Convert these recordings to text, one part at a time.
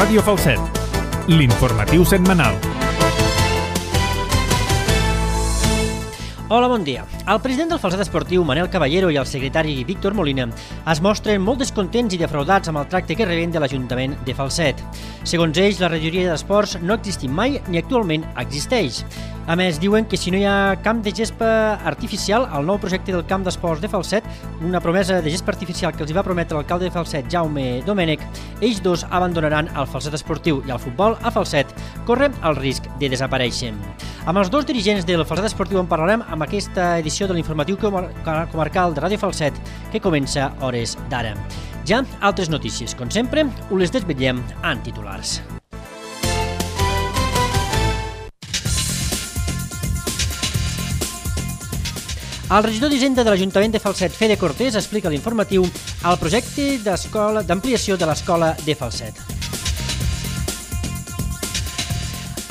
Ràdio Falset, l'informatiu setmanal. Hola, bon dia. El president del Falset Esportiu, Manel Caballero, i el secretari Víctor Molina es mostren molt descontents i defraudats amb el tracte que reben de l'Ajuntament de Falset. Segons ells, la regidoria d'esports no ha existit mai ni actualment existeix. A més, diuen que si no hi ha camp de gespa artificial, el nou projecte del camp d'esports de Falset, una promesa de gespa artificial que els va prometre l'alcalde de Falset, Jaume Domènech, ells dos abandonaran el Falset Esportiu i el futbol a Falset, corren el risc de desaparèixer. Amb els dos dirigents del Falset Esportiu en parlarem amb aquesta edició de l'informatiu comarcal de Ràdio Falset que comença a hores d'ara. Ja altres notícies, com sempre, us les desvetllem en titulars. El regidor d'Hisenda de l'Ajuntament de Falset, Fede Cortés, explica a l'informatiu el projecte d'ampliació de l'escola de Falset.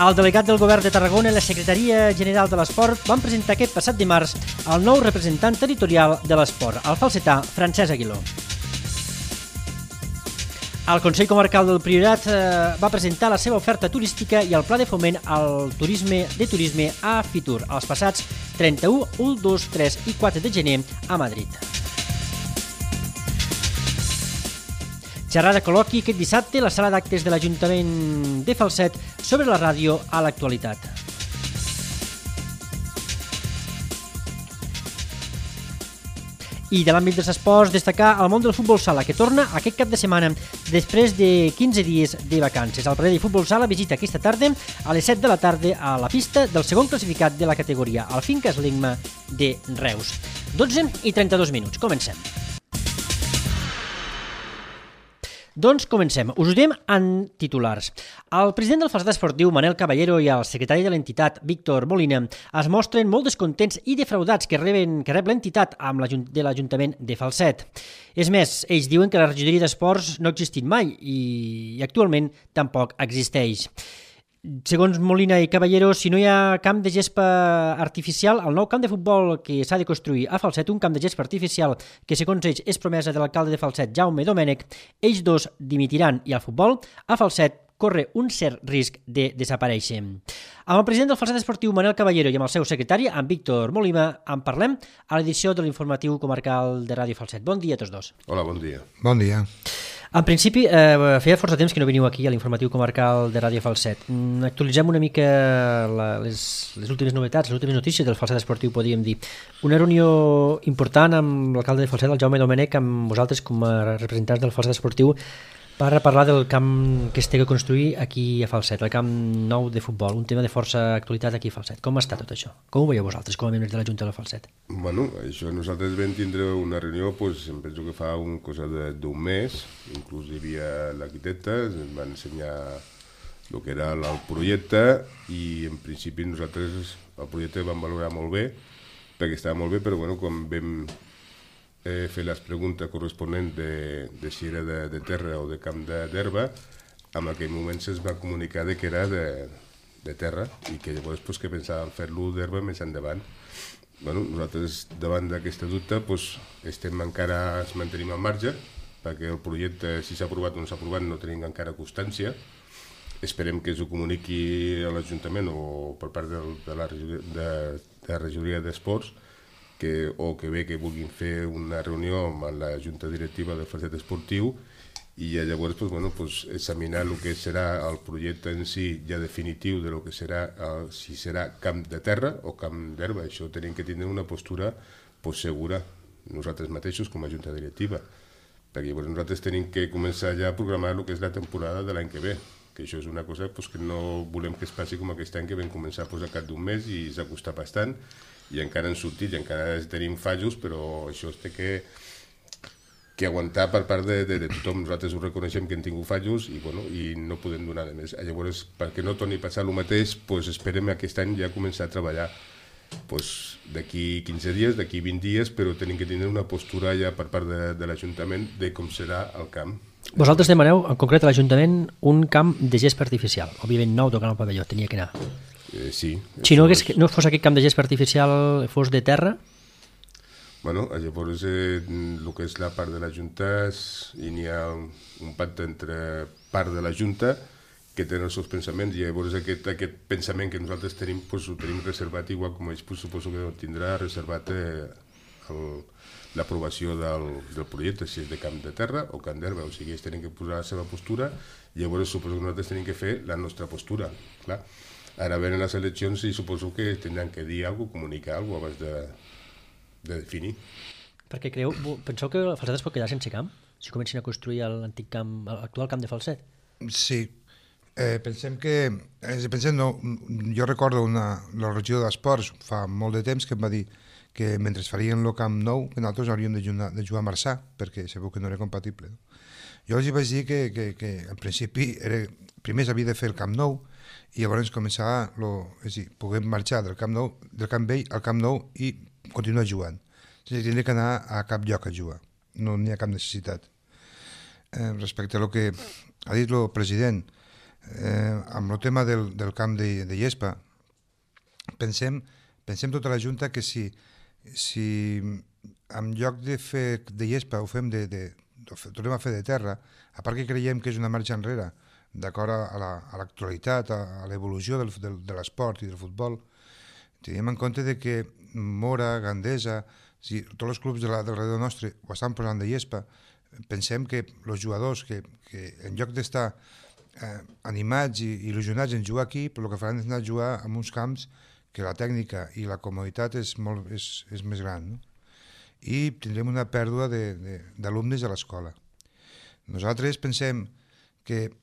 El delegat del Govern de Tarragona i la Secretaria General de l'Esport van presentar aquest passat dimarts el nou representant territorial de l'esport, el falsetà Francesc Aguiló. El Consell Comarcal del Priorat va presentar la seva oferta turística i el pla de foment al turisme a Fitur els passats 31, 1, 2, 3 i 4 de gener a Madrid. Xerrada col·loqui aquest dissabte a la sala d'actes de l'Ajuntament de Falset sobre la ràdio a l'actualitat. I de l'àmbit dels esports, destacar el món del futbol sala, que torna aquest cap de setmana després de 15 dies de vacances. El Parell de Futbol Sala visita aquesta tarda a les 7 de la tarda a la pista del segon classificat de la categoria, el Fincas Ligma de Reus. 12 i 32 minuts. Comencem. Doncs comencem. Us ho diem en titulars. El president del Falset Esportiu, Manel Caballero, i el secretari de l'entitat, Víctor Molina, es mostren molt descontents i defraudats que rep l'entitat de l'Ajuntament de Falset. És més, ells diuen que la regidoria d'esports no ha existit mai i actualment tampoc existeix. Segons Molina i Caballero, si no hi ha camp de gespa artificial, el nou camp de futbol que s'ha de construir a Falset, un camp de gespa artificial que segons ells és promesa de l'alcalde de Falset, Jaume Domènech, ells dos dimitiran i el futbol a Falset corre un cert risc de desaparèixer. Amb el president del Falset Esportiu, Manel Caballero, i amb el seu secretari, en Víctor Molina, en parlem a l'edició de l'informatiu comarcal de Ràdio Falset. Bon dia a tots dos. Hola, bon dia. Bon dia. En principi, feia força temps que no veniu aquí a l'informatiu comarcal de Ràdio Falset. Actualitzem una mica les últimes novetats, les últimes notícies del Falset Esportiu, podríem dir. Una reunió important amb l'alcalde de Falset, el Jaume Domènech, amb vosaltres com a representants del Falset Esportiu, per parlar del camp que es té que construir aquí a Falset, el camp nou de futbol, un tema de força actualitat aquí a Falset. Com està tot això? Com ho veieu vosaltres, com a membres de la Junta de Falset? Bueno, això nosaltres vam tindre una reunió, em penso que fa cosa d'un mes, inclús hi havia l'arquitecte, ens va ensenyar el que era el projecte i en principi nosaltres el projecte el vam valorar molt bé, perquè estava molt bé, però quan vam fer les preguntes corresponents de si era de terra o de camp d'herba, en aquell moment se'ns va comunicar que era de terra i que llavors que pensàvem fer-lo d'herba més endavant. Nosaltres davant d'aquesta dubte encara ens mantenim al marge perquè el projecte, si s'ha aprovat o no s'ha aprovat, no tenim encara constància. Esperem que s'ho comuniqui a l'Ajuntament o per part de la regidoria d'esports o que bé que vulguin fer una reunió amb la Junta Directiva del Falset Esportiu i llavors examinar el que serà el projecte en si ja definitiu de lo que serà, si serà camp de terra o camp d'herba. Això tenim que tindre una postura segura nosaltres mateixos com a Junta Directiva, perquè llavors nosaltres tenim que començar ja a programar el que és la temporada de l'any que ve, que això és una cosa que no volem que es passi com aquest any, que vam començar al cap d'un mes i s'ha costat bastant i encara han sortit i encara tenim fallos, però això es té que aguantar per part de tothom. Nosaltres ho reconeixem que hem tingut fallos i no podem donar de més. Llavors, perquè no torni a passar el mateix, esperem aquest any ja començar a treballar d'aquí 15 dies, d'aquí 20 dies, però tenim que tenir una postura ja per part de l'Ajuntament de com serà el camp. Vosaltres demaneu, en concret a l'Ajuntament, un camp de gespa artificial. Òbviament nou tocant el pavelló, tenia que anar. Sí. Si no fos aquest camp de gespa artificial, fos de terra? Bueno, llavors el que és la part de la Junta i n'hi ha un pacte entre part de la Junta que tenen els seus pensaments i llavors aquest pensament que nosaltres tenim pues, ho tenim reservat igual com ells pues, suposo que tindrà reservat l'aprovació del projecte, si és de camp de terra o camp d'herba, o sigui, ells tenen que posar la seva postura i llavors suposo que nosaltres tenim que fer la nostra postura, clar. Ara venen les eleccions i suposo que tindran que dir alguna cosa, comunicar alguna cosa abans de definir. Perquè penseu que Falset es pot quedar sense camp? Si comencin a construir l'antic camp, l'actual camp de Falset? Sí. Pensem, no, jo recordo la regió d'Esports fa molt de temps que em va dir que mentre farien el camp nou que nosaltres hauríem de jugar a Marçà perquè sabeu que no era compatible. Jo els vaig dir que en principi primer s'havia de fer el camp nou i llavors començar és dir, poder marxar del camp vell al camp nou i continuar jugant. Tindria que anar a cap lloc a jugar, no n'hi ha cap necessitat. Respecte a lo que ha dit el president, amb el tema del camp de Llespa, pensem tota la Junta que si en lloc de fer de Llespa ho fem tornem a fer de terra, a part que creiem que és una marxa enrere d'acord a l'actualitat, a l'evolució de l'esport i del futbol, tenim en compte de que Mora, Gandesa, tots els clubs del redor nostre ho estan posant de Llespa, pensem que els jugadors que en lloc d'estar animats i il·lusionats en jugar aquí, però el que faran és anar a jugar en uns camps que la tècnica i la comoditat és més gran, no? I tindrem una pèrdua d'alumnes a l'escola. Nosaltres pensem que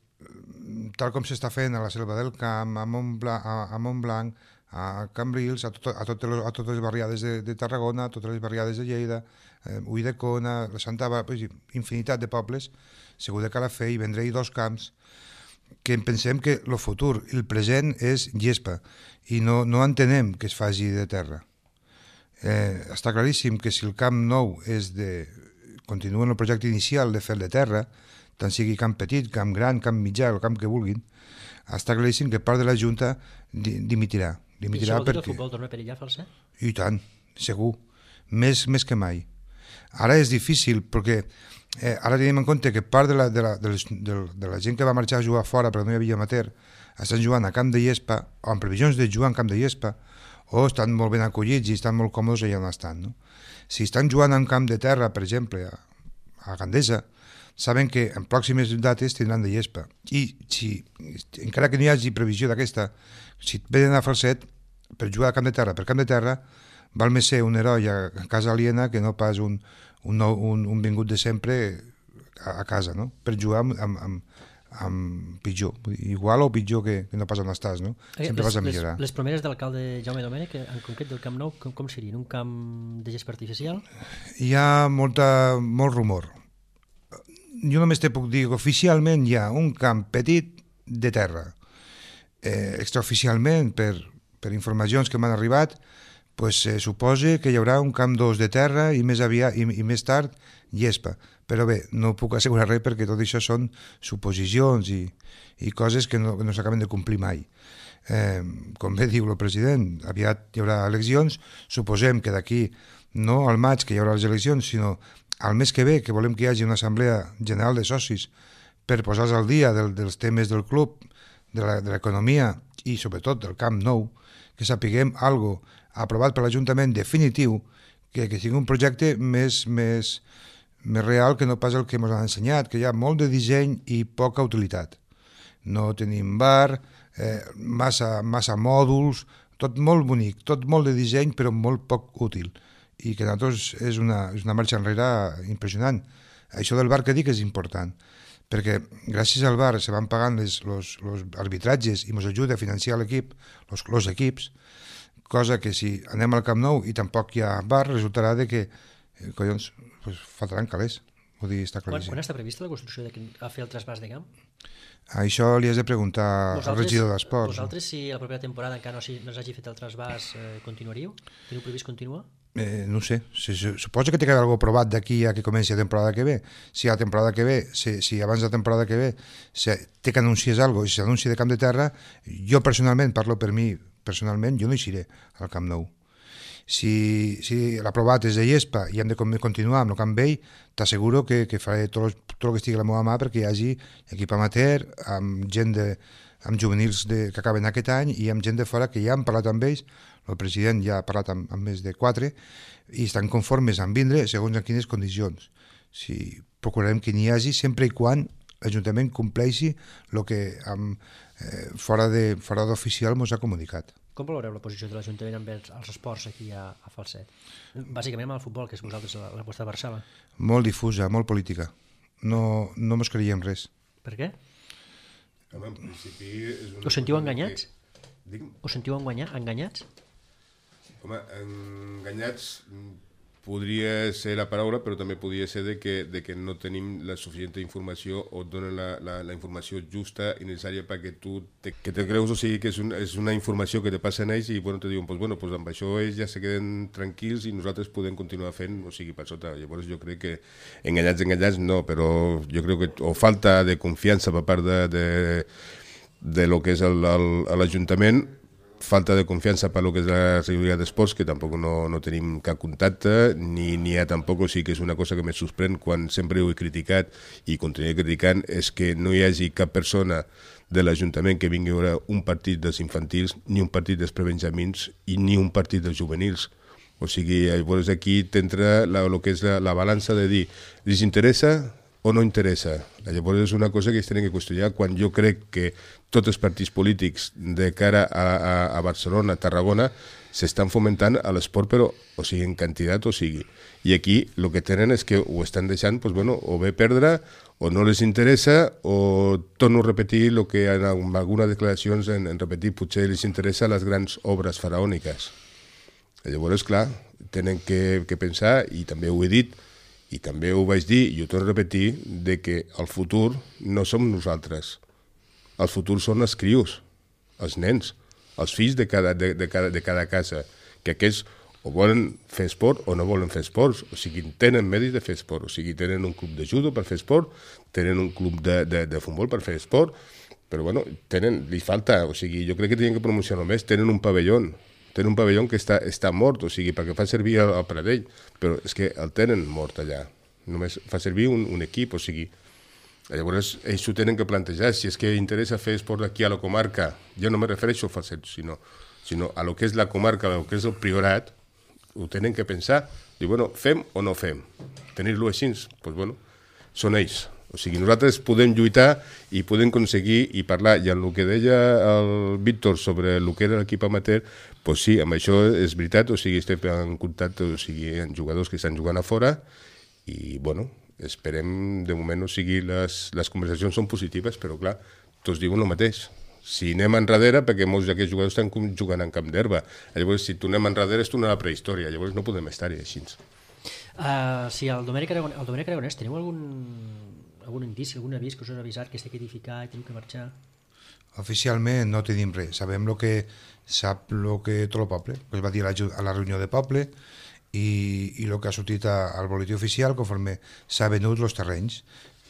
tal com s'està fent a la Selva del Camp, a Montblanc, a Cambrils, a totes les barriades de Tarragona, a totes les barriades de Lleida, Ulldecona, la Santa Bàrbara, infinitat de pobles, segur que cal fer i vendré-hi 2 camps que pensem que el futur i el present és Llespa i no entenem que es faci de terra. Està claríssim que si el camp nou continua en el projecte inicial de fer de terra, tant sigui camp petit, camp gran, camp mitjà, el camp que vulguin, està claríssim que part de la Junta dimitirà. I això vol dir que el futbol torna a perillar, Falset? I tant, segur. Més que mai. Ara és difícil, perquè ara tenim en compte que part de la gent que va marxar a jugar fora perquè no hi havia amateur, estan jugant a camp de Llespa, o en previsions de jugar en camp de Llespa, o estan molt ben acollits i estan molt còmodes allà on estan. No? Si estan jugant en camp de terra, per exemple, a Gandesa, saben que en pròximes dates tindran de Llespa. I encara que no hi hagi previsió d'aquesta, si venen a Falset per jugar a camp de terra, val més ser un heroi a casa aliena que no pas un vingut de sempre a casa, no? Per jugar amb pitjor. Igual o pitjor que no pas on estàs, no? Sempre vas a millorar. Les promeses de l'alcalde Jaume Domènech, en concret del Camp Nou, com serien? Un camp de gespa artificial? Hi ha molt rumor. Jo només te puc dir que oficialment hi ha un camp petit de terra. Extraoficialment, per informacions que m'han arribat, suposa que hi haurà un camp 2 de terra i més tard Llespa. Però bé, no puc assegurar res perquè tot això són suposicions i coses que no s'acaben de complir mai. Com bé diu el president, aviat hi haurà eleccions, suposem que d'aquí, no al maig que hi haurà les eleccions, sinó al mes que ve, que volem que hi hagi una assemblea general de socis per posar-se al dia dels temes del club, de l'economia i sobretot del Camp Nou, que sapiguem algo aprovat per l'Ajuntament definitiu, que sigui un projecte més real que no pas el que ens han ensenyat, que hi ha molt de disseny i poca utilitat. No tenim bar, massa mòduls, tot molt bonic, tot molt de disseny però molt poc útil. I que nosaltres és una marxa enrere impressionant. Això del bar que dic és important, perquè gràcies al bar se van pagant els arbitratges i ens ajuda a financiar l'equip, els equips, cosa que si anem al Camp Nou i tampoc hi ha bar, resultarà que collons, faltaran calés. Vull dir, està claríssim. Quan està prevista la construcció de fer el trasbàs de camp? Això li has de preguntar al regidor d'Esports. Vosaltres, si a la propera temporada encara no s'hagi fet el trasbàs, continuaríeu? Teniu previst continuar? No sé, suposo que té que haver alguna provat d'aquí a que comenci la temporada que ve. Si a la temporada que ve, si abans de la temporada que ve té que anunciar alguna cosa i si s'anuncia de Camp de Terra, jo personalment, parlo per mi, personalment, jo no hi seré al Camp Nou. Si l'aprovat és de Llespa i hem de continuar amb el Camp Vell, t'asseguro que faré tot el que estigui a la meva mà perquè hi hagi equip amateur, amb amb juvenils que acaben aquest any i amb gent de fora que ja han parlat amb ells, el president ja ha parlat amb més de 4 i estan conformes en vindre segons en quines condicions. Procurarem que n'hi hagi sempre i quan l'Ajuntament compleixi el que fora d'oficial ens ha comunicat. Com valoreu la posició de l'Ajuntament amb els esports aquí a Falset? Bàsicament amb el futbol, que és vosaltres la vostra Barçala. Molt difusa, molt política. No mos creiem res. Per què? Home, en principi... Us sentiu enganyats? Us sentiu enganyats? Home, enganyats podria ser la paraula, però també podria ser de que no tenim la suficient informació o et donen la informació justa i necessària perquè tu te creus, o sigui que és una informació que te passen ells i te diuen, doncs amb això ells ja se queden tranquils i nosaltres podem continuar fent, o sigui, per sota. Llavors jo crec que enganyats no, però jo crec que o falta de confiança per part de lo que és l'Ajuntament, falta de confiança per lo que és la regidoria d'esports, que tampoc no tenim cap contacte, ni hi ha tampoc, o sigui que és una cosa que me sorprèn quan sempre ho he criticat i continuaré criticant, és que no hi hagi cap persona de l'Ajuntament que vingui a veure un partit dels infantils, ni un partit dels prebenjamins i ni un partit dels juvenils. O sigui, llavors aquí t'entra el que és la balança de dir, els interessa o no interessa. Llavors és una cosa que es tenen que qüestionar quan jo crec que tots els partits polítics de cara a Barcelona, a Tarragona, s'estan fomentant a l'esport, però o sigui en quantitat o sigui. I aquí el que tenen és que ho estan deixant o bé perdre, o no les interessa, o torno a repetir el que en algunes declaracions han repetit, potser els interessa les grans obres faraòniques. Llavors, clar, tenen que pensar, i també ho he dit, i també ho vaig dir, i ho torno a repetir, de que el futur no som nosaltres. El futur són els crios, els nens, els fills de cada casa, que aquests o volen fer esport o no volen fer esports, o sigui, tenen medis de fer esport, o sigui, tenen un club de judo per fer esport, tenen un club de futbol per fer esport, però bueno, li falta, o sigui, jo crec que tenen que promocionar més, tenen un pavelló que està mort, o sigui, perquè fa servir el Pradell, però és que el tenen mort allà, només fa servir un equip, o sigui, llavors ells s'ho tenen que plantejar, si és que interessa fer esport aquí a la comarca, jo no me refereixo a Falset, sinó a lo que és la comarca, a lo que és el Priorat, ho tenen que pensar, dir, bueno, fem o no fem, tenir-lo així, doncs bueno, són ells. O sigui, nosaltres podem lluitar i podem aconseguir i parlar, i en el que deia el Víctor sobre el que era l'equip amateur, doncs sí, amb això és veritat, o sigui, estem en contacte, o sigui, amb jugadors que estan jugant a fora, i, bueno, esperem, de moment, o sigui, les conversacions són positives, però, clar, tots diuen el mateix. Si anem enrere, perquè molts d'aquests jugadors estan jugant en camp d'herba, llavors, si tornem enrere, és tornar a la prehistòria, llavors no podem estar-hi així. Si el Domènec Aragonès, teniu algun indici, algun avís que us ha avisat que s'ha d'edificar i teniu que marxar? Oficialment no tenim res. Sabem el que sap tot el poble, que es va dir a la reunió de poble, i el que ha sortit al boletí oficial conforme s'ha venut els terrenys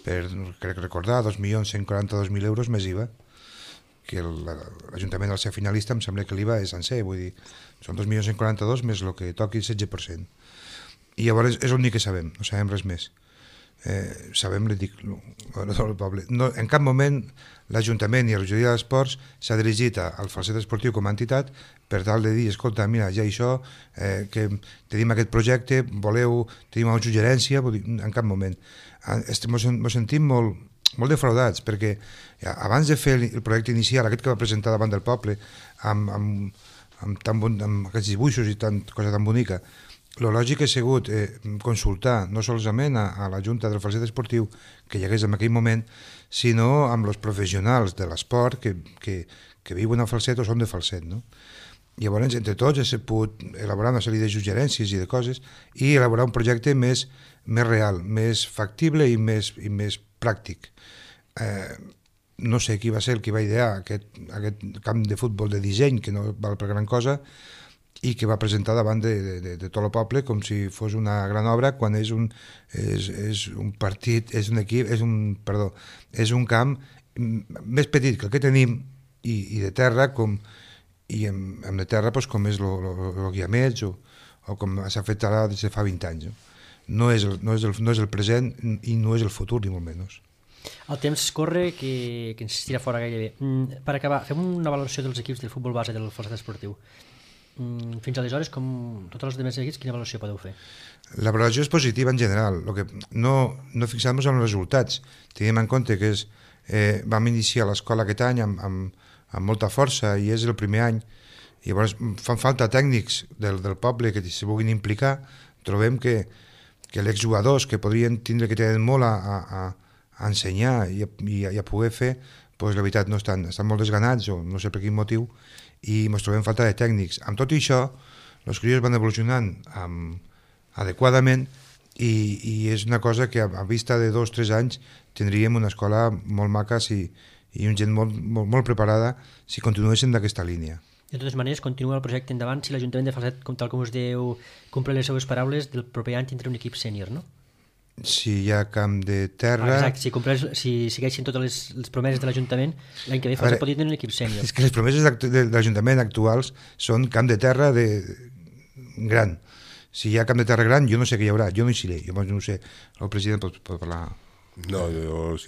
per, crec recordar, 2.142.000 euros més IVA, que l'Ajuntament al ser finalista em sembla que l'IVA és sencer, vull dir, són 2.142 més el que toqui el 16%. I llavors és l'únic que sabem, no sabem res més. Sabem, li dic, el poble. No, en cap moment l'Ajuntament i la regidoria d'esports s'ha dirigit al Falset Esportiu com a entitat per tal de dir, escolta, mira, ja això, que tenim aquest projecte, tenim una suggerència, en cap moment. Ens sentim molt defraudats, perquè abans de fer el projecte inicial, aquest que va presentar davant del poble, amb aquests dibuixos i cosa tan bonica, el lògic ha sigut consultar no solament a la Junta del Falset Esportiu que hi hagués en aquell moment, sinó amb els professionals de l'esport que viuen a Falset o són de Falset. No? Llavors, entre tots, hem pogut elaborar una sèrie de suggerències i de coses i elaborar un projecte més real, més factible i més pràctic. No sé qui va ser el que va idear aquest camp de futbol de disseny, que no val per gran cosa, i que va presentar davant de tot el poble com si fos una gran obra quan és un partit, és un camp més petit que el que tenim i de terra, i amb de terra com és el Guiamets o o com s'ha fet ara des de fa 20 anys. No és el present i no és el futur, ni molt menys. El temps corre que ens tira fora gairebé. Per acabar, fem una valoració dels equips del futbol base del Falset Esportiu. Fins aleshores, com tots els altres equips, quina valoració podeu fer? La valoració és positiva en general. Lo que no fixem-nos en els resultats. Tenim en compte que vam iniciar l'escola aquest any amb molta força i és el primer any. I llavors fan falta tècnics del poble que s'hi vulguin implicar. Trobem que l'exjugadors que podrien tindre que tenen molt a ensenyar i a poder fer, doncs la veritat no estan molt desganats o no sé per quin motiu i ens trobem falta de tècnics. Amb tot això, els crios van evolucionant adequadament i és una cosa que a vista de 2 o 3 anys tindríem una escola molt maca i una gent molt preparada si continuéssim d'aquesta línia. De totes maneres, continua el projecte endavant si l'Ajuntament de Falset, tal com us dieu, compleix les seues paraules, del proper any tindrà un equip sènior, no? Si hi ha camp de terra... Exacte, si segueixin totes les promeses de l'Ajuntament, l'any que ve Falset pot tenir un equip sènior. És que les promeses de l'Ajuntament actuals són camp de terra gran. Si hi ha camp de terra gran, jo no sé què hi haurà, jo no hi seré, jo no sé, el president pot parlar... No, és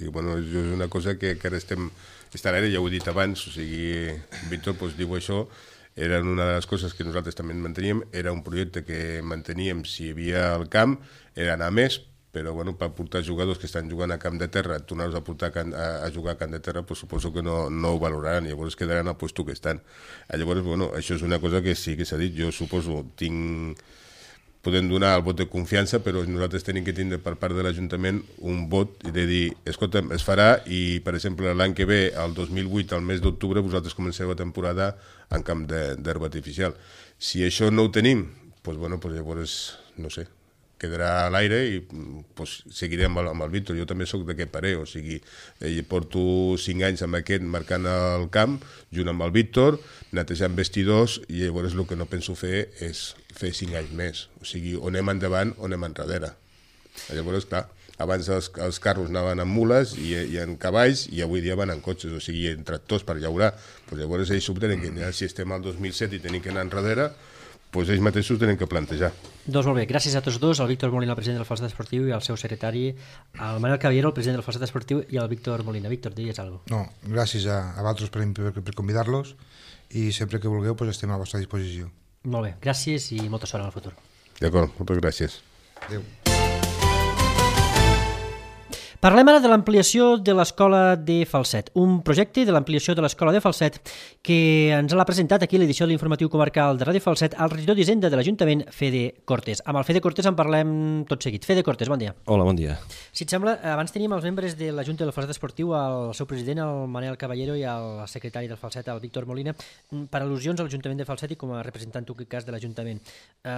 una cosa que ara estem a l'aire, ja ho he dit abans, o sigui, Víctor diu això, era una de les coses que nosaltres també manteníem, era un projecte que manteníem si hi havia al camp, era anar més, però per portar jugadors que estan jugant a camp de terra, tornar-los a portar a jugar a camp de terra, suposo que no ho valoraran, llavors quedaran al lloc que estan. Llavors, això és una cosa que sí que s'ha dit, jo suposo, podem donar el vot de confiança, però nosaltres tenim que tindre per part de l'Ajuntament un vot de dir, escolta, es farà i, per exemple, l'any que ve, el 2008, al mes d'octubre, vosaltres comenceu la temporada en camp d'herba artificial. Si això no ho tenim, llavors, no sé, quedarà a l'aire i seguirem amb el Víctor. Jo també sóc d'aquest parer, o sigui, porto 5 anys amb aquest marcant el camp, junt amb el Víctor, netejant vestidors, i llavors el que no penso fer és fer 5 anys més. O sigui, o anem endavant o anem enrere. Llavors, clar, abans els carros anaven amb mules i en cavalls i avui dia van en cotxes, o sigui, en tractors per llaurar. Llavors ells s'ho tenen que mirar. Si estem al 2007 i tenim que anar enrere, ells mateixos tenen que plantejar. Doncs molt bé, gràcies a tots dos, al Víctor Molina, el president del Falset Esportiu, i al seu secretari, al Manel Caballero, el president del Falset Esportiu, i al Víctor Molina. Víctor, digues alguna cosa. No, gràcies a vosaltres per convidar-los i sempre que vulgueu estem a la vostra disposició. Molt bé, gràcies i molta sort en el futur. D'acord, moltes gràcies. Adéu. Parlem ara de l'ampliació de l'Escola de Falset, un projecte de l'ampliació de l'Escola de Falset que ens l'ha presentat aquí a l'edició de l'Informatiu Comarcal de Ràdio Falset el regidor d'Hisenda de l'Ajuntament, Fede Cortés. Amb el Fede Cortés en parlem tot seguit. Fede Cortés, bon dia. Hola, bon dia. Si et sembla, abans teníem els membres de la Junta del Falset Esportiu, el seu president, el Manel Caballero, i el secretari del Falset, el Víctor Molina, per al·lusions a l'Ajuntament de Falset i com a representant, en aquest cas, de l'Ajuntament.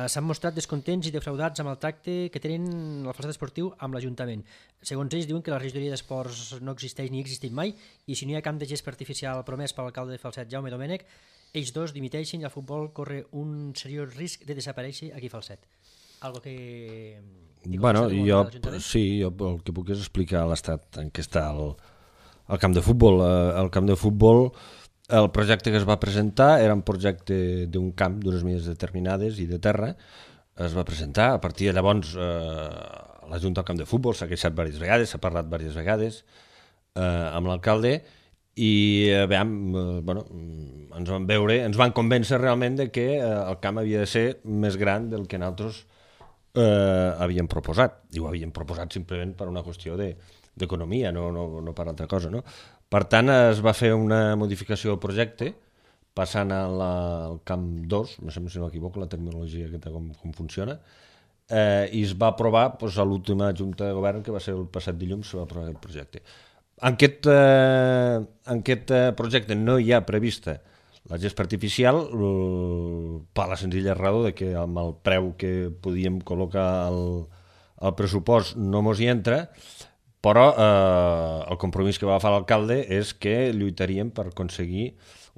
S'han mostrat descontents i defraudats amb el tracte que tenen el Falset Esportiu amb l'Ajuntament. Segons ells, diuen que la regidoria d'Esports no existeix ni ha existit mai i si no hi ha camp de gest artificial promès per l'alcalde de Falset, Jaume Domènech, ells dos dimiteixen i el futbol corre un seriós risc de desaparèixer aquí a Falset. Algo que... Bueno, jo el que puc és explicar l'estat en què està el camp de futbol. El camp de futbol, el projecte que es va presentar era un projecte d'un camp d'unes mides determinades i de terra. Es va presentar, a partir de llavors la Junta del Camp de Futbol s'ha queixat diverses vegades, s'ha parlat diverses vegades amb l'alcalde i ens van convèncer realment de que el camp havia de ser més gran del que nosaltres havíem proposat. I ho havíem proposat simplement per una qüestió d'economia, no per altra cosa. No? Per tant, es va fer una modificació del projecte passant al camp 2, no sé si m'equivoco la terminologia aquesta com funciona, i es va aprovar a l'última Junta de Govern, que va ser el passat dilluns, se va aprovar el projecte. En aquest projecte no hi ha prevista la gespa artificial per la senzilla raó de que amb el preu que podíem col·locar al pressupost no mos hi entra, però el compromís que va agafar l'alcalde és que lluitaríem per aconseguir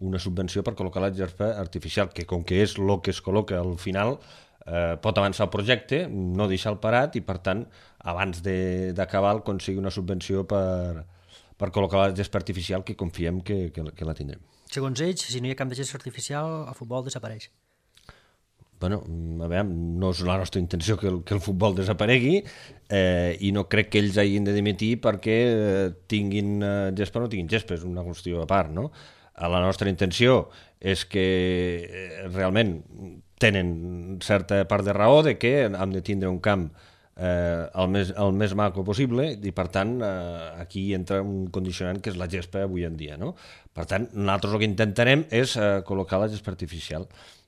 una subvenció per col·locar la gespa artificial, que com que és el que es col·loca al final pot avançar el projecte, no deixar-lo parat i per tant abans d'acabar aconseguir una subvenció per col·locar la gespa artificial que confiem que la tindrem. Segons ells, si no hi ha camp de gest artificial, el futbol desapareix. bueno, a veure, no és la nostra intenció que el futbol desaparegui i no crec que ells hagin de dimitir perquè tinguin gespa o no tinguin gespa, és una qüestió a part, no? La nostra intenció és que realment tenen certa part de raó de que hem de tindre un camp el més maco possible i per tant aquí entra un condicionant que és la gespa avui en dia, no? Per tant, nosaltres el que intentarem és col·locar la gespa artificial.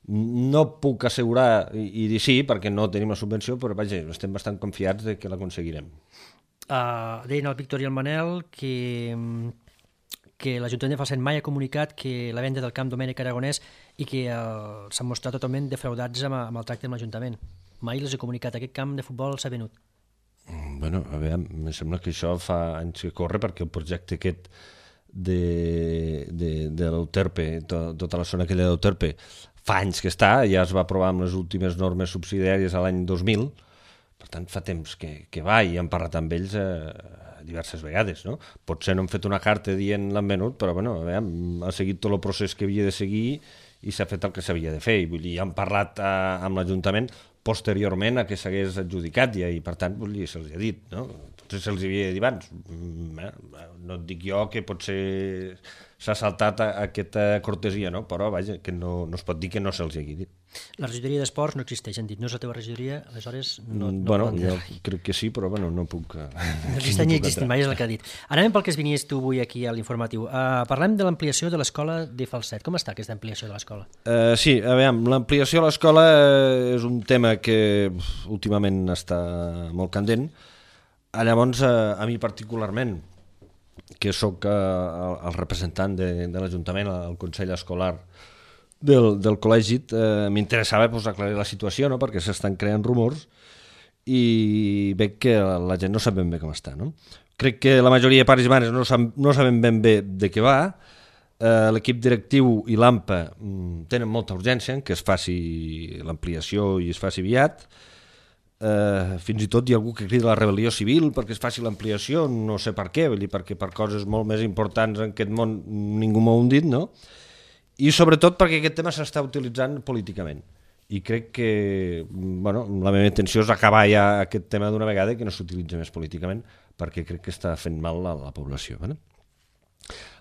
No puc assegurar i dir sí perquè no tenim la subvenció, però vaja, estem bastant confiats de que l'aconseguirem. Deien el Víctor i el Manel que l'Ajuntament de Falset mai ha comunicat que la venda del camp Domènec Aragonès i que s'han mostrat totalment defraudats amb el tracte amb l'Ajuntament. Mai els he comunicat, aquest camp de futbol s'ha venut. Bueno, a veure, em sembla que això fa anys que corre perquè el projecte aquest de l'Euterpe, tota la zona aquella d'Euterpe, fa anys que està, ja es va aprovar amb les últimes normes subsidiàries a l'any 2000, per tant fa temps que va i hem parlat amb ells diverses vegades, no? Potser no hem fet una carta dient l'han venut, però bueno, a veure, ha seguit tot el procés que havia de seguir i s'ha fet el que s'havia de fer, i vull dir, hem parlat amb l'Ajuntament posteriorment a que s'hagués adjudicat ja, i per tant se'ls ha dit, no? Potser se'ls havia dit abans, no et dic jo que potser s'ha saltat aquesta cortesia, no? Però vaja, que no es pot dir que no se'ls hagi dit. La regidoria d'esports no existeix, han dit, no és la teva regidoria, aleshores no bueno, jo crec que sí, però bueno, no puc... No existeix ni existint mai, és el que ha dit. Anem pel que es vinies tu avui aquí a l'informatiu. Parlem de l'ampliació de l'escola de Falset. Com està aquesta ampliació de l'escola? Sí, a veure, l'ampliació de l'escola és un tema que últimament està molt candent. Llavors, a mi particularment, que sóc el representant de l'Ajuntament, el Consell Escolar del col·legi, m'interessava aclarir la situació, no? Perquè s'estan creant rumors i veig que la gent no sap ben bé com està, no? Crec que la majoria de pares i mares no saben ben bé de què va. L'equip directiu i l'AMPA tenen molta urgència en que es faci l'ampliació i es faci aviat. Fins i tot hi ha algú que crida la rebel·lió civil perquè es faci l'ampliació, no sé per què, perquè per coses molt més importants en aquest món ningú m'ho ha dit, no? I sobretot perquè aquest tema s'està utilitzant políticament i crec que la meva intenció és acabar ja aquest tema d'una vegada i que no s'utilitzi més políticament perquè crec que està fent mal a la població.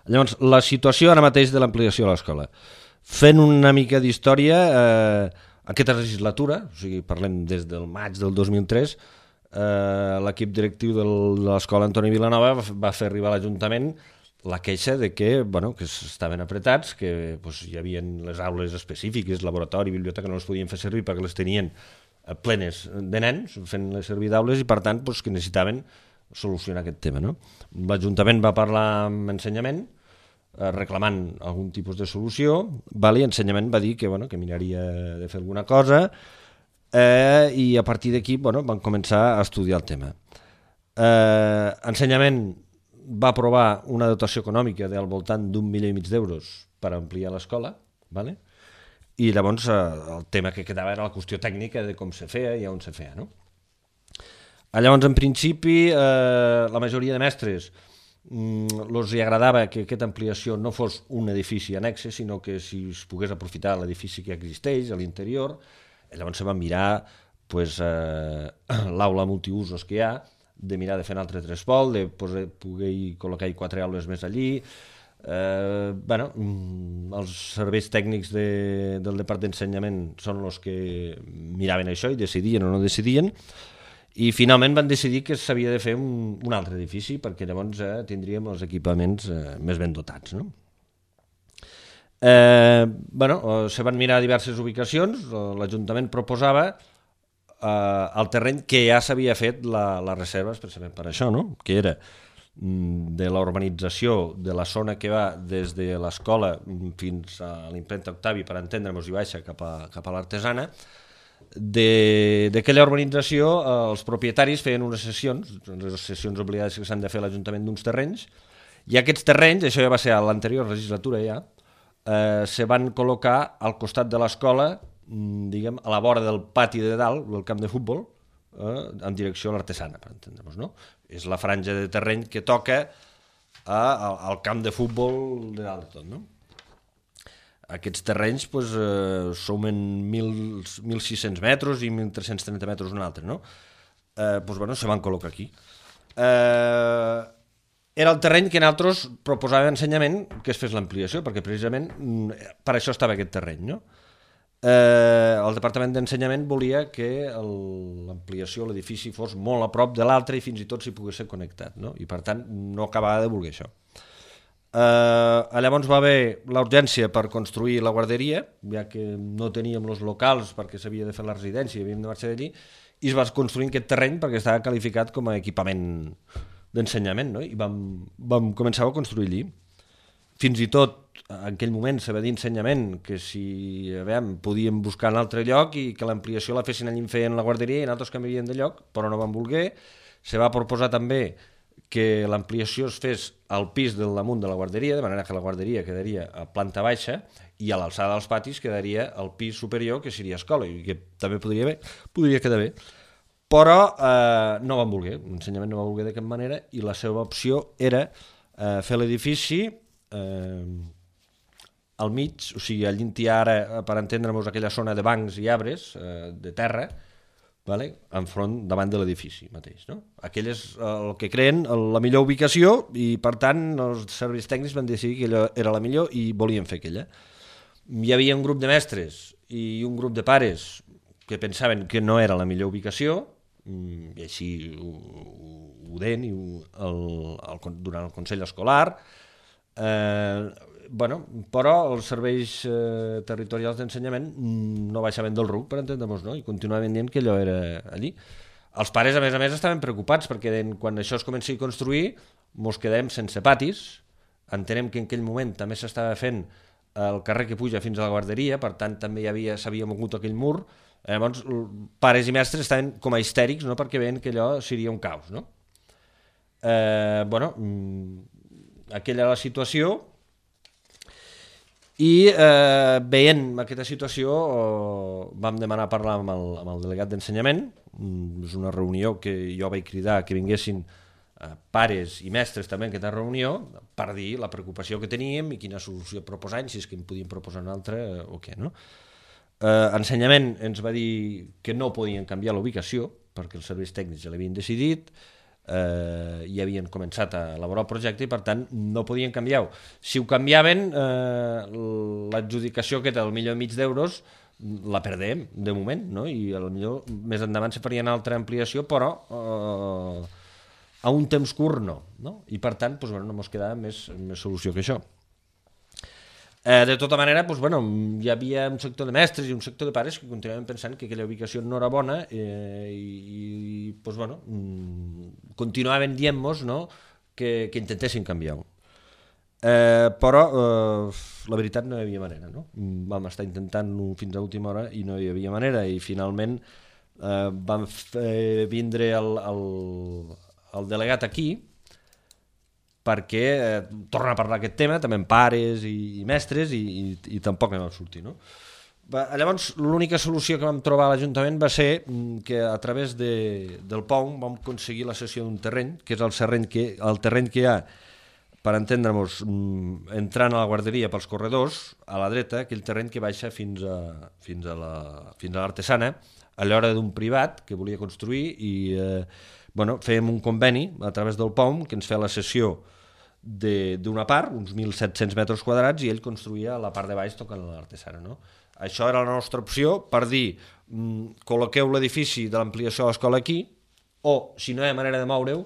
Llavors, la situació ara mateix de l'ampliació de l'escola. Fent una mica d'història, aquesta legislatura, o sigui, parlem des del maig del 2003, l'equip directiu de l'escola Antoni Vilanova va fer arribar a l'Ajuntament la queixa de que estaven apretats, que hi havia les aules específiques, laboratori, biblioteca, no les podien fer servir perquè les tenien plenes de nens fent-les servir d'aules i per tant que necessitaven solucionar aquest tema. L'Ajuntament va parlar amb Ensenyament reclamant algun tipus de solució, i Ensenyament va dir que miraria de fer alguna cosa i a partir d'aquí van començar a estudiar el tema. Ensenyament va aprovar una dotació econòmica del voltant d'1,5 milió d'euros per ampliar l'escola, i llavors el tema que quedava era la qüestió tècnica de com se feia i on se feia. Llavors, en principi, la majoria de mestres els agradava que aquesta ampliació no fos un edifici annexe, sinó que si es pogués aprofitar l'edifici que existeix a l'interior. Llavors se va mirar l'aula multiusos que hi ha, de mirar de fer un altre trespol, de poder col·locar 4 aules més allí. Els serveis tècnics del Departament d'Ensenyament són els que miraven això i decidien o no decidien, i finalment van decidir que s'havia de fer un altre edifici perquè llavors tindríem els equipaments més ben dotats. Se van mirar diverses ubicacions, l'Ajuntament proposava el terreny que ja s'havia fet la reserva especialment per això, que era de la urbanització de la zona que va des de l'escola fins a l'imprenta Octavi, per entendre'ns, i baixa cap a l'Artesana. D'aquella urbanització els propietaris feien unes cessions obligades que s'han de fer a l'Ajuntament d'uns terrenys, i aquests terrenys, això ja va ser a l'anterior legislatura ja, se van col·locar al costat de l'escola, diguem, a la vora del pati de dalt, del camp de futbol, en direcció a l'Artesana, per entendre'ns, no? És la franja de terreny que toca al camp de futbol de dalt de tot, no? Aquests terrenys sumen 1.600 metres i 1.330 metres un altre, no? Se van col·locar aquí. Era el terreny que nosaltres proposàvem ensenyament que es fes l'ampliació, perquè precisament per això estava aquest terreny, no? El Departament d'Ensenyament volia que l'ampliació de l'edifici fos molt a prop de l'altre i fins i tot s'hi pogués ser connectat, no? I per tant no acabava de voler això. Llavors va haver la urgència per construir la guarderia, ja que no teníem els locals perquè s'havia de fer la residència i havíem de marxar d'allí, i es va construir aquest terreny perquè estava qualificat com a equipament d'ensenyament, no? I vam començar a construir allí. Fins i tot en aquell moment se va dir ensenyament que si podíem buscar un altre lloc i que l'ampliació la fessin allí feien la guarderia i nosaltres canviaríem de lloc, però no vam voler. Se va proposar també que l'ampliació es fes al pis del damunt de la guarderia, de manera que la guarderia quedaria a planta baixa i a l'alçada dels patis quedaria al pis superior, que seria escola, i que també podria quedar bé. Però no van voler, l'ensenyament no va voler de cap manera, i la seva opció era fer l'edifici al mig, o sigui, allí hi ha ara, per entendre'ns, aquella zona de bancs i arbres de terra, davant de l'edifici mateix, no? Aquell és el que creen la millor ubicació i per tant els serveis tècnics van decidir que allò era la millor i volien fer aquella. Hi havia un grup de mestres i un grup de pares que pensaven que no era la millor ubicació i així ho deien durant el Consell Escolar, però els serveis territorials d'ensenyament no baixaven del RUC, per entendre'ns, no? I continuaven dient que allò era allí. Els pares, a més, estaven preocupats perquè quan això es comenci a construir mos quedem sense patis. Entenem que en aquell moment també s'estava fent el carrer que puja fins a la guarderia, per tant també s'havia mogut aquell mur. Llavors, pares i mestres estaven com a histèrics, no? Perquè veien que allò seria un caos, no? Aquella era la situació. I veient aquesta situació vam demanar parlar amb el delegat d'ensenyament. És una reunió que jo vaig cridar que vinguessin pares i mestres també en aquesta reunió per dir la preocupació que teníem i quina solució proposàvem, si és que en podíem proposar una altra o què, no? Ensenyament ens va dir que no podien canviar la ubicació perquè els serveis tècnics ja l'havien decidit i havien començat a elaborar el projecte i per tant no podien canviar-ho. Si ho canviaven, l'adjudicació aquesta del $1,5 milions la perdem de moment, no? I potser més endavant se faria una altra ampliació, però a un temps curt no? I per tant no ens quedava més solució que això. De tota manera, hi havia un sector de mestres i un sector de pares que continuaven pensant que aquella ubicació no era bona i continuaven dient-nos que intentessin canviar-ho. Però la veritat no hi havia manera, no? Vam estar intentant-ho fins a última hora i no hi havia manera i finalment vam fer vindre el delegat aquí perquè torna a parlar aquest tema, també amb pares i mestres, i tampoc no va sortir, no? Llavors, l'única solució que vam trobar a l'Ajuntament va ser que a través del POUM vam aconseguir la cessió d'un terreny, que és el terreny que hi ha, per entendre-nos, entrant a la guarderia pels corredors, a la dreta, aquell terreny que baixa fins a l'Artesana, a l'hora d'un privat que volia construir, i fèiem un conveni a través del POUM que ens feia la cessió d'una part, uns 1.700 metres quadrats, i ell construïa la part de baix tocant a l'Artesana, no? Això era la nostra opció per dir col·loqueu l'edifici de l'ampliació de l'escola aquí, o si no hi ha manera de moure-ho,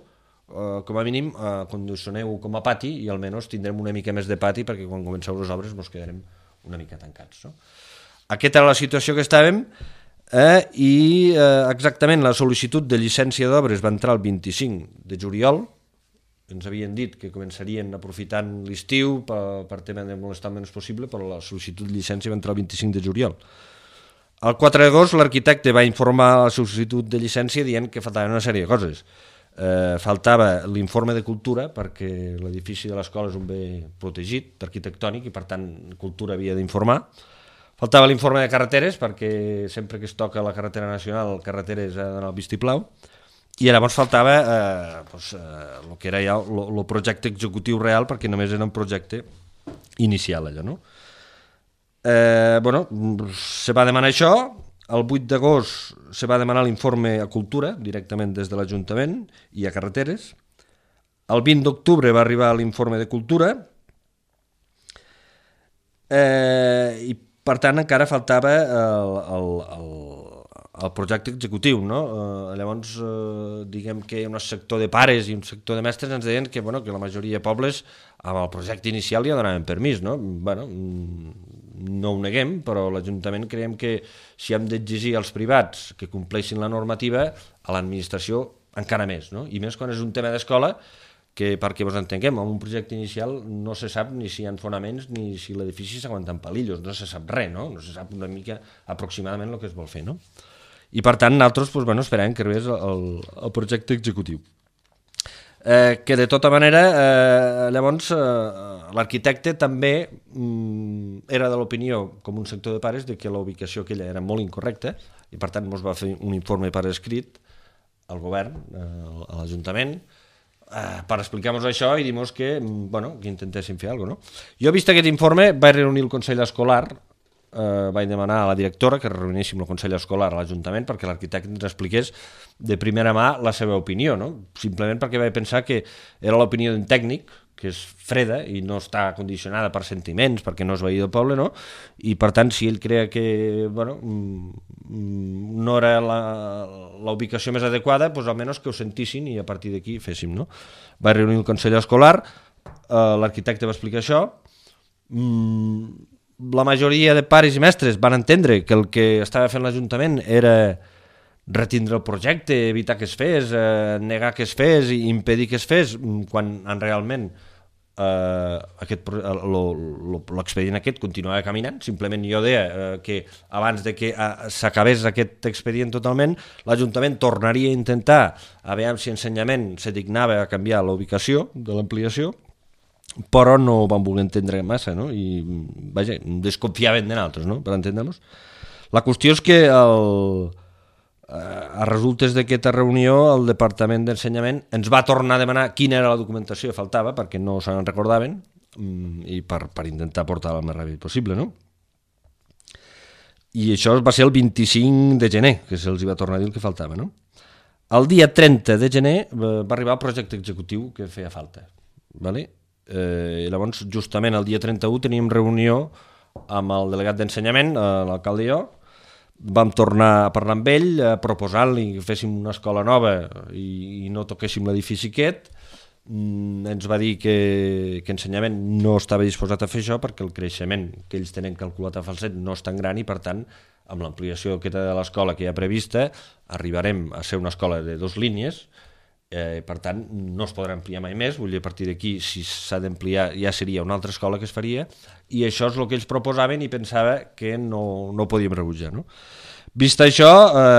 com a mínim condicioneu com a pati i almenys tindrem una mica més de pati perquè quan comenceu les obres ens quedarem una mica tancats, no? Aquesta era la situació que estàvem i exactament la sol·licitud de llicència d'obres va entrar el 25 de juliol. Ens havien dit que començarien aprofitant l'estiu per tema de molestar el menys possible, però la sol·licitud de llicència va entrar el 25 de juliol. El 4 d'agost l'arquitecte va informar la sol·licitud de llicència dient que faltaven una sèrie de coses. Faltava l'informe de cultura perquè l'edifici de l'escola és un bé protegit arquitectònic i per tant cultura havia d'informar. Faltava l'informe de carreteres perquè sempre que es toca la carretera nacional carreteres ha d'anar al vistiplau. I llavors faltava el que era ja el projecte executiu real perquè només era un projecte inicial allò, no? se va demanar això, el 8 d'agost se va demanar l'informe a Cultura, directament des de l'Ajuntament i a Carreteres. El 20 d'octubre va arribar l'informe de Cultura i, per tant, encara faltava el projecte executiu, no? Llavors, diguem que un sector de pares i un sector de mestres ens deien que la majoria de pobles amb el projecte inicial ja donaven permís, no? No ho neguem, però l'Ajuntament creiem que si hem d'exigir als privats que compleixin la normativa, a l'administració encara més, no? I més quan és un tema d'escola, que perquè ens entenguem, en un projecte inicial no se sap ni si hi ha fonaments ni si l'edifici s'aguanta en palillos, no se sap res, no? No se sap una mica aproximadament el que es vol fer, no? I per tant nosaltres esperàvem que arribés el projecte executiu. Que de tota manera llavors l'arquitecte també era de l'opinió, com un sector de pares, de que la ubicació aquella era molt incorrecta i per tant ens va fer un informe per escrit al govern, a l'Ajuntament, per explicar-nos això i dir-nos que intentéssim fer alguna cosa, no? Jo, vist aquest informe, vaig reunir el Consell Escolar, vaig demanar a la directora que reuníssim el Consell Escolar a l'Ajuntament perquè l'arquitecte ens expliqués de primera mà la seva opinió, no? Simplement perquè vaig pensar que era l'opinió d'un tècnic, que és freda i no està condicionada per sentiments, perquè no és veí del poble, no? I per tant, si ell creia que no era la ubicació més adequada, doncs almenys que ho sentissin i a partir d'aquí féssim, no? Vaig reunir el Consell Escolar, l'arquitecte va explicar això, la majoria de pares i mestres van entendre que el que estava fent l'Ajuntament era retindre el projecte, evitar que es fes, negar que es fes i impedir que es fes, quan realment l'expedient aquest continuava caminant. Simplement jo deia que abans de que s'acabés aquest expedient totalment, l'Ajuntament tornaria a intentar a veure si Ensenyament se dignava a canviar la ubicació de l'ampliació, però no ho van voler entendre massa, no? I vaja, desconfiaven de nosaltres, no? Per entendre-nos. La qüestió és que a resultes d'aquesta reunió el Departament d'Ensenyament ens va tornar a demanar quina era la documentació que faltava perquè no se'n recordaven i per intentar portar-la el més ràpid possible, no? I això va ser el 25 de gener que se'ls va tornar a dir el que faltava, no? El dia 30 de gener va arribar el projecte executiu que feia falta, ¿vale? I llavors justament el dia 31 teníem reunió amb el delegat d'Ensenyament, l'alcalde i jo, vam tornar a parlar amb ell proposant-li que féssim una escola nova i no toquéssim l'edifici aquest. Ens va dir que Ensenyament no estava disposat a fer això perquè el creixement que ells tenen calculat a Falset no és tan gran i per tant amb l'ampliació de l'escola que hi ha prevista arribarem a ser una escola de 2 línies. Per tant no es podrà ampliar mai més, vull dir, a partir d'aquí si s'ha d'ampliar ja seria una altra escola que es faria i això és el que ells proposaven i pensava que no podíem rebutjar, no? Vist això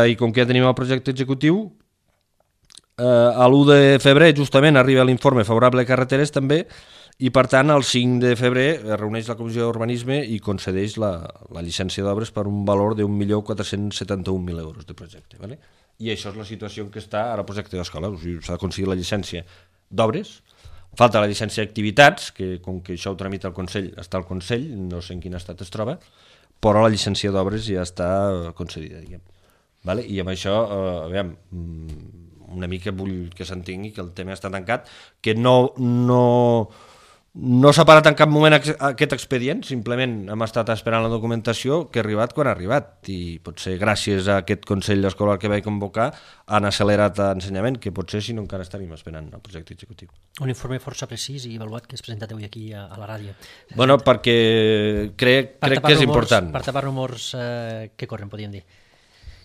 i com que ja tenim el projecte executiu, a l'1 de febrer justament arriba l'informe favorable a Carreteres també i per tant el 5 de febrer es reuneix la Comissió d'Urbanisme i concedeix la llicència d'obres per un valor de 1.471.000 euros de projecte, ¿vale? I això és la situació en què està ara el projecte d'escola. O sigui, s'ha aconseguit la llicència d'obres, falta la llicència d'activitats, que com que això ho tramita el Consell, està al Consell, no sé en quin estat es troba, però la llicència d'obres ja està concedida, diguem. Vale? I amb això, aviam, una mica vull que s'entengui que el tema està tancat, que no s'ha parat en cap moment aquest expedient, simplement hem estat esperant la documentació que ha arribat quan ha arribat i potser gràcies a aquest Consell Escolar que vaig convocar han accelerat l'ensenyament, que potser si no encara estaríem esperant el projecte executiu. Un informe força precís i avaluat que has presentat avui aquí a la ràdio. Bueno, perquè crec que és important. Per tapar rumors que corren, podríem dir.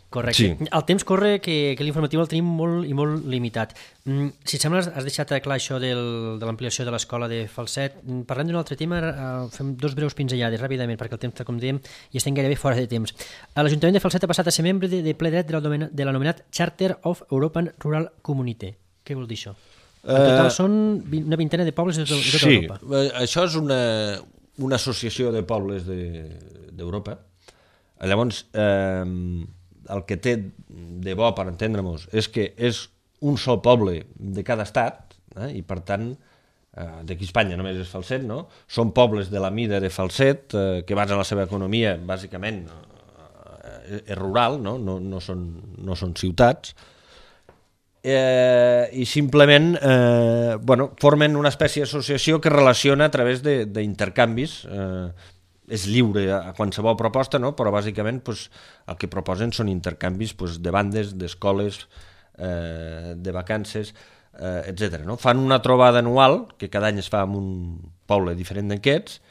Correcte. Sí. El temps corre que l'informatiu el tenim molt i molt limitat. Si et sembla, has deixat clar això de l'ampliació de l'escola de Falset. Parlem d'un altre tema, fem 2 breus pinzellades ràpidament, perquè el temps, com dèiem, i estem gairebé fora de temps. L'Ajuntament de Falset ha passat a ser membre de ple dret de l'anomenat Charter of European Rural Community. Què vol dir això? En total són una vintena de pobles de tota Europa. Sí, això és una associació de pobles d'Europa. Llavors, el que té de bo, per entendre-nos, és que és un sol poble de cada estat i per tant d'aquí a Espanya només és Falset, no? Són pobles de la mida de Falset, que basen la seva economia, bàsicament, és rural, no? No són ciutats, i simplement formen una espècie d'associació que relaciona a través d'intercanvis, és lliure a qualsevol proposta, no? Però bàsicament el que proposen són intercanvis de bandes, d'escoles, de vacances, etc. No? Fan una trobada anual, que cada any es fa en un poble diferent d'aquests,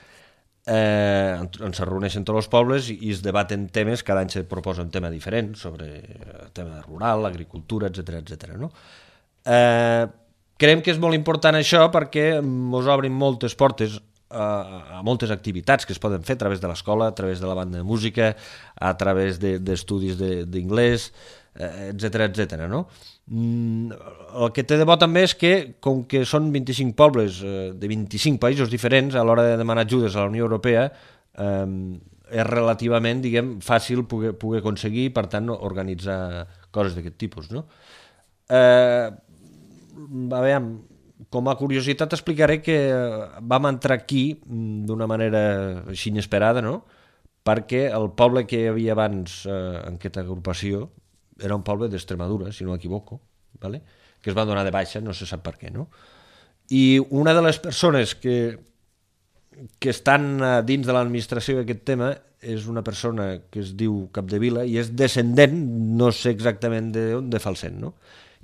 on se reuneixen tots els pobles i es debaten temes, cada any se proposa un tema diferent sobre el tema rural, l'agricultura, etc. No? Creiem que és molt important això perquè ens obrin moltes portes a moltes activitats que es poden fer a través de l'escola, a través de la banda de música, a través d'estudis d'inglès, etc. No? El que té de bo també és que, com que són 25 pobles de 25 països diferents, a l'hora de demanar ajudes a la Unió Europea és relativament, fàcil poder aconseguir, per tant, organitzar coses d'aquest tipus. No? Com a curiositat explicaré que vam entrar aquí d'una manera així inesperada, no? Perquè el poble que hi havia abans en aquesta agrupació era un poble d'Extremadura, si no m'equivoco, ¿vale? Que es va donar de baixa, no se sap per què, no? I una de les persones que estan dins de l'administració d'aquest tema és una persona que es diu Capdevila i és descendent, no sé exactament d'on, de Falset, no?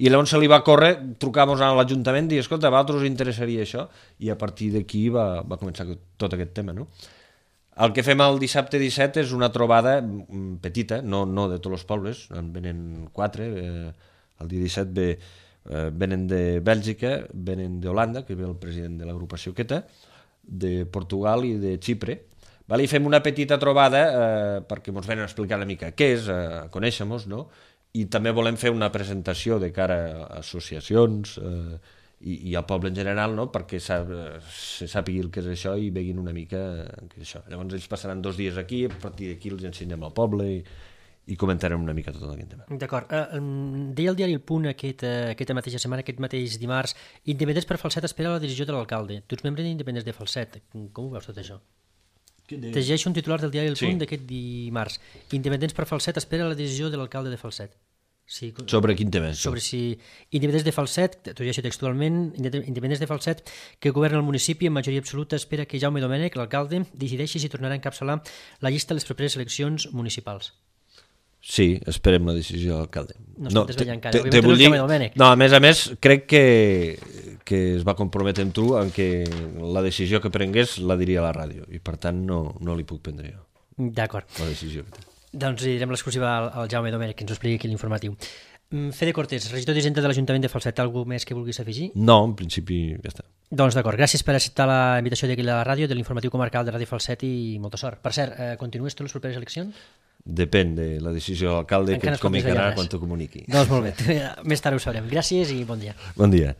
I llavors se li va córrer, trucàvem a l'Ajuntament i dir, escolta, a vosaltres us interessaria això? I a partir d'aquí va començar tot aquest tema, no? El que fem el dissabte 17 és una trobada petita, no de tots els pobles, en venen 4, el dia 17 venen de Bèlgica, venen d'Holanda, que ve el president de l'agrupació aquesta, de Portugal i de Xipre, i fem una petita trobada perquè ens venen a explicar una mica què és, conèixer-nos, no? I també volem fer una presentació de cara a associacions i al poble en general, no? Perquè se sàpiga el que és això i veguin una mica què és això. Llavors ells passaran 2 dies aquí, a partir d'aquí els ensenyem al poble i comentarem una mica tot aquest tema. D'acord. Deia el diari El Punt aquesta mateixa setmana, aquest mateix dimarts, Independents per Falset espera la decisió de l'alcalde. Tu ets membre d'Independents de Falset. Com ho veus tot això? Llegeixo un titular del diari El Punt d'aquest dimarts. Independents per Falset espera la decisió de l'alcalde de Falset. Sí, sobre quin tema? Sobre si Independents de Falset, t'ho llegeixo textualment, Independents de Falset, que governa el municipi en majoria absoluta, espera que Jaume Domènech, l'alcalde, decideixi si tornarà a encapçalar la llista de les properes eleccions municipals. Sí, esperem la decisió de l'alcalde. No es pot desvetllar encara, òbviament no és Jaume Domènech. No, a més, crec que es va comprometre amb tu en que la decisió que prengués la diria a la ràdio i per tant no li puc prendre jo. D'acord. La decisió que té. Doncs direm l'exclusiva al Jaume Domènech, que ens ho expliqui aquí l'informatiu. Fede Cortés, regidor d'Hisenda de l'Ajuntament de Falset, alguna més que vulguis afegir? No, en principi ja està. Doncs d'acord, gràcies per acceptar la invitació d'aquí a la ràdio, de l'informatiu comarcal de Ràdio Falset i molta sort. Per cert, continues tu les properes eleccions? Depèn de la decisió de l'alcalde que ens comunicarà quan t'ho comuniqui. Doncs molt bé, més tard ho sabrem. Gràcies i bon dia. Bon dia.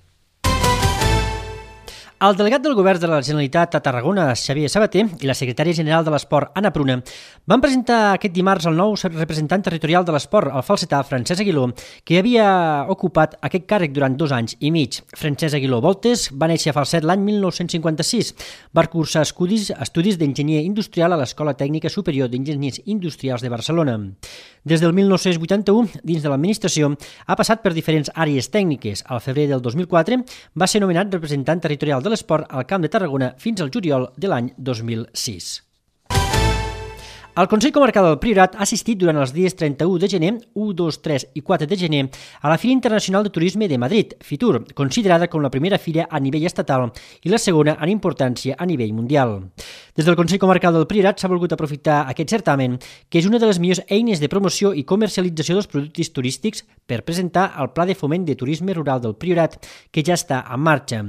El delegat del Govern de la Generalitat a Tarragona, Xavier Sabater, i la secretària general de l'Esport, Anna Pruna, van presentar aquest dimarts el nou representant territorial de l'esport, el falsetà Francesc Aguiló, que havia ocupat aquest càrrec durant 2 anys i mig. Francesc Aguiló Voltes va néixer a Falset l'any 1956. Va cursar estudis d'enginyer industrial a l'Escola Tècnica Superior d'Enginyers Industrials de Barcelona. Des del 1981, dins de l'administració, ha passat per diferents àrees tècniques. Al febrer del 2004 va ser nomenat representant territorial de l'esport al Camp de Tarragona fins al juliol de l'any 2006. El Consell Comarcal del Priorat ha assistit durant els dies 31 de gener, 1, 2, 3 i 4 de gener a la Fira Internacional de Turisme de Madrid, FITUR, considerada com la primera fira a nivell estatal i la segona en importància a nivell mundial. Des del Consell Comarcal del Priorat s'ha volgut aprofitar aquest certamen, que és una de les millors eines de promoció i comercialització dels productes turístics per presentar el Pla de Foment de Turisme Rural del Priorat, que ja està en marxa.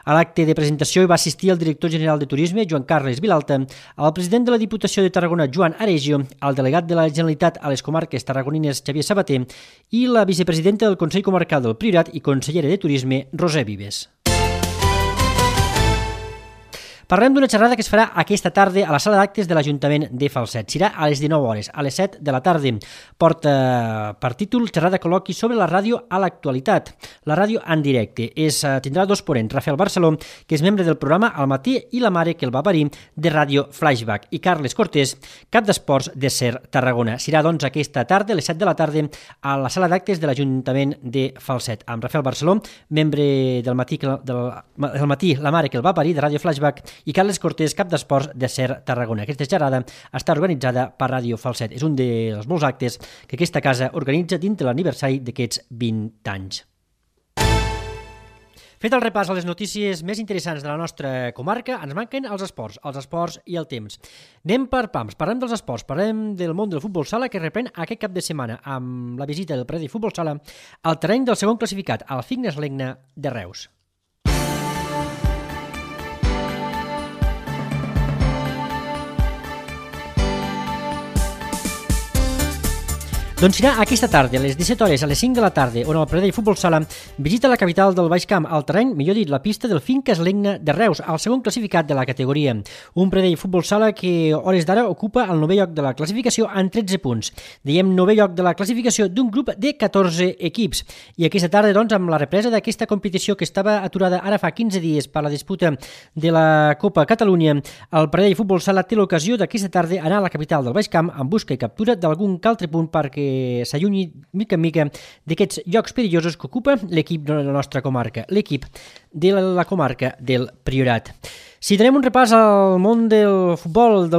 A l'acte de presentació hi va assistir el director general de Turisme, Joan Carles Vilalta, el president de la Diputació de Tarragona, Joan Aregio, el delegat de la Generalitat a les comarques tarragonines, Xavier Sabater, i la vicepresidenta del Consell Comarcal del Priorat i consellera de Turisme, Roser Vives. Parlem d'una xerrada que es farà aquesta tarda a la sala d'actes de l'Ajuntament de Falset. Serà a les 19 hores, a les 7 de la tarda. Porta per títol xerrada col·loqui sobre la ràdio a l'actualitat. La ràdio en directe. Tindrà dos ponents, Rafael Barceló, que és membre del programa Al matí i la mare que el va parir de Ràdio Flashback, i Carles Cortés, cap d'esports de SER Tarragona. Serà doncs aquesta tarda, a les 7 de la tarda, a la sala d'actes de l'Ajuntament de Falset, amb Rafael Barceló, membre del matí, la mare que el va parir de Ràdio Flashback, i Carles Cortés, cap d'esports de SER Tarragona. Aquesta xerrada està organitzada per Ràdio Falset. És un dels molts actes que aquesta casa organitza dins de l'aniversari d'aquests 20 anys. Fet el repàs a les notícies més interessants de la nostra comarca, ens manquen els esports i el temps. Anem per pams, parlem dels esports, parlem del món del futbol sala que reprèn aquest cap de setmana amb la visita del Predi Futbol Sala al terreny del segon classificat, al Fignes Legna de Reus. Doncs serà aquesta tarda, a les 17 hores, a les 5 de la tarda, on el Pradell Futbol Sala visita la capital del Baix Camp, al terreny, millor dit, la pista del Finques Legna de Reus, al segon classificat de la categoria. Un Pradell Futbol Sala que, a hores d'ara, ocupa el 9è lloc de la classificació amb 13 punts. Diem 9è lloc de la classificació d'un grup de 14 equips. I aquesta tarda, doncs, amb la represa d'aquesta competició que estava aturada ara fa 15 dies per la disputa de la Copa Catalunya, el Pradell Futbol Sala té l'ocasió d'aquesta tarda anar a la capital del Baix Camp en busca i captura d'algun altre punt perquè s'allunyi mica en mica d'aquests llocs perillosos que ocupa l'equip de la nostra comarca, l'equip de la comarca del Priorat. Si tenem un repàs al món del futbol,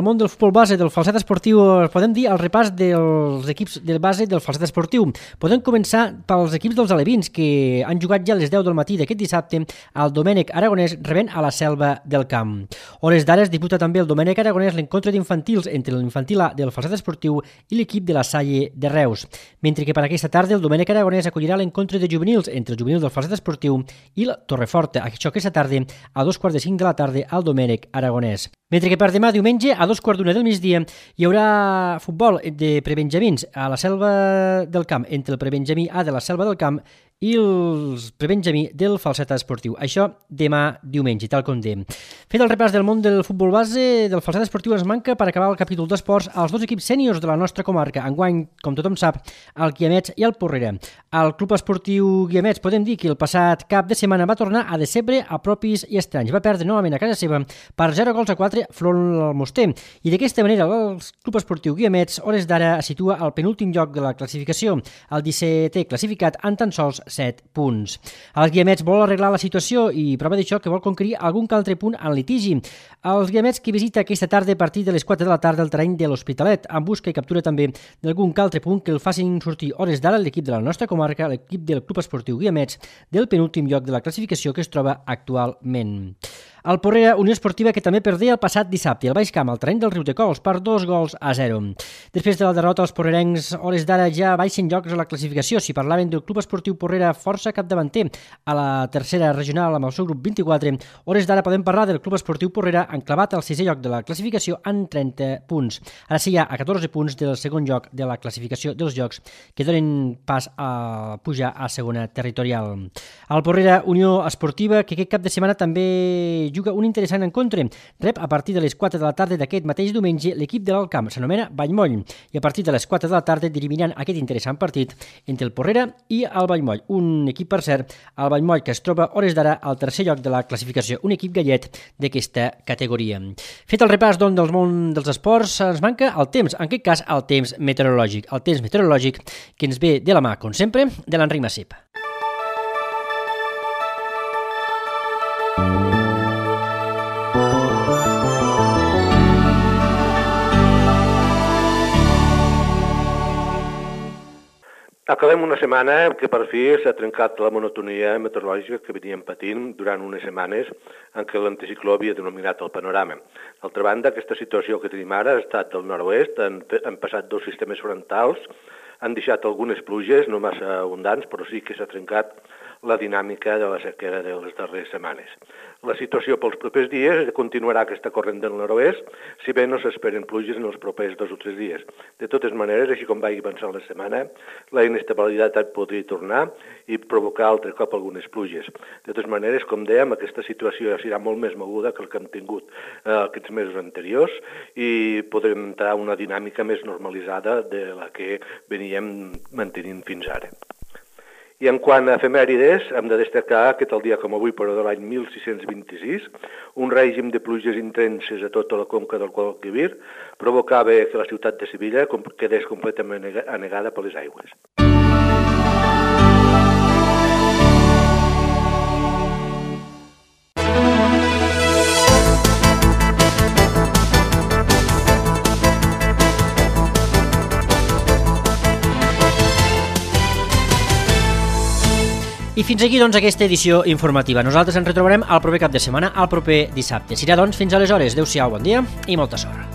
base, del falset esportiu, podem dir el repàs dels equips de base del falset esportiu. Podem començar pels equips dels alevins, que han jugat ja a les 10 del matí d'aquest dissabte al Domènec Aragonès rebent a la Selva del Camp. Hores d'ara es disputa també el Domènec Aragonès l'encontre d'infantils entre l'infantil A del falset esportiu i l'equip de la Salle de Reus. Mentre que per aquesta tarda el Domènec Aragonès acollirà l'encontre de juvenils entre els juvenils del falset esportiu i la Torreforta. Això aquesta tarda a 2:45 de la tarda al Domènec Aragonès. Mentre que per demà diumenge a 2:15 del migdia hi haurà futbol de prebenjamins a la Selva del Camp entre el prebenjamí A de la Selva del Camp i els prebenjamí del falset esportiu. Això demà diumenge, tal com dèiem. Fet el repàs del món del futbol base, del falset esportiu ens manca per acabar el capítol d'esports als dos equips sèniors de la nostra comarca. Enguany, com tothom sap, el Guiamets i el Porrera. El club esportiu Guiamets podem dir que el passat cap de setmana va tornar a decebre a propis i estranys. Va perdre novament a casa seva per 0-4 front al Moster. I d'aquesta manera el club esportiu Guiamets, hores d'ara, es situa al penúltim lloc de la classificació, el 17è classificat amb tan sols 7 punts. Els Guiamets vol arreglar la situació i prova d'això que vol conquerir algun altre punt en litigi. Els Guiamets que visita aquesta tarda a partir de les 4 de la tarda el terreny de l'Hospitalet, en busca i captura també d'algun altre punt que el facin sortir hores d'ara l'equip de la nostra comarca, l'equip del club esportiu Guiamets, del penúltim lloc de la classificació que es troba actualment. El Porrera, Unió Esportiva, que també perdé el passat dissabte al Baix Camp, al terreny del Riudecols, per 2-0. Després de la derrota, els porrerencs, hores d'ara, ja baixen llocs a la classificació. Si parlaven del Club Esportiu Porrera, força capdavanter a la tercera regional amb el seu grup 24, hores d'ara podem parlar del Club Esportiu Porrera enclavat al 6è lloc de la classificació amb 30 punts. Ara sí hi ha a 14 punts del segon lloc de la classificació dels llocs que donen pas a pujar a segona territorial. El Porrera, Unió Esportiva, que aquest cap de setmana també juga un interessant encontre. Rep a partir de les 4 de la tarda d'aquest mateix diumenge l'equip de l'Alt Camp, s'anomena Vallmoll, i a partir de les 4 de la tarda dirimiran aquest interessant partit entre el Porrera i el Vallmoll. Un equip, per cert, el Vallmoll, que es troba hores d'ara al tercer lloc de la classificació, un equip gallet d'aquesta categoria. Fet el repàs, doncs, del món dels esports, ens manca el temps, en aquest cas el temps meteorològic. El temps meteorològic que ens ve de la mà, com sempre, de l'Enric Massip. Acabem una setmana que per fi s'ha trencat la monotonia meteorològica que veníem patint durant unes setmanes en què l'anticicló havia dominat el panorama. D'altra banda, aquesta situació que tenim ara ha estat del nord-oest, han passat dos sistemes frontals, han deixat algunes pluges, no massa abundants, però sí que s'ha trencat la dinàmica de la sequera de les darreres setmanes. La situació pels propers dies continuarà aquesta corrent del nord-oest, si bé no s'esperen pluges en els propers 2 o 3 dies. De totes maneres, així com vagi avançant la setmana, la inestabilitat podria tornar i provocar altre cop algunes pluges. De totes maneres, com dèiem, aquesta situació serà molt més moguda que el que hem tingut aquests mesos anteriors i podrem entrar a una dinàmica més normalitzada de la que veníem mantenint fins ara. I en quant a efemèrides, hem de destacar que tal dia com avui, però de l'any 1626, un règim de pluges intenses a tota la conca del Guadalquivir provocava que la ciutat de Sevilla quedés completament anegada per les aigües. I fins aquí, doncs, aquesta edició informativa. Nosaltres ens retrobarem el proper cap de setmana, el proper dissabte. Serà, doncs, fins aleshores. Adéu-siau, bon dia i molta sort.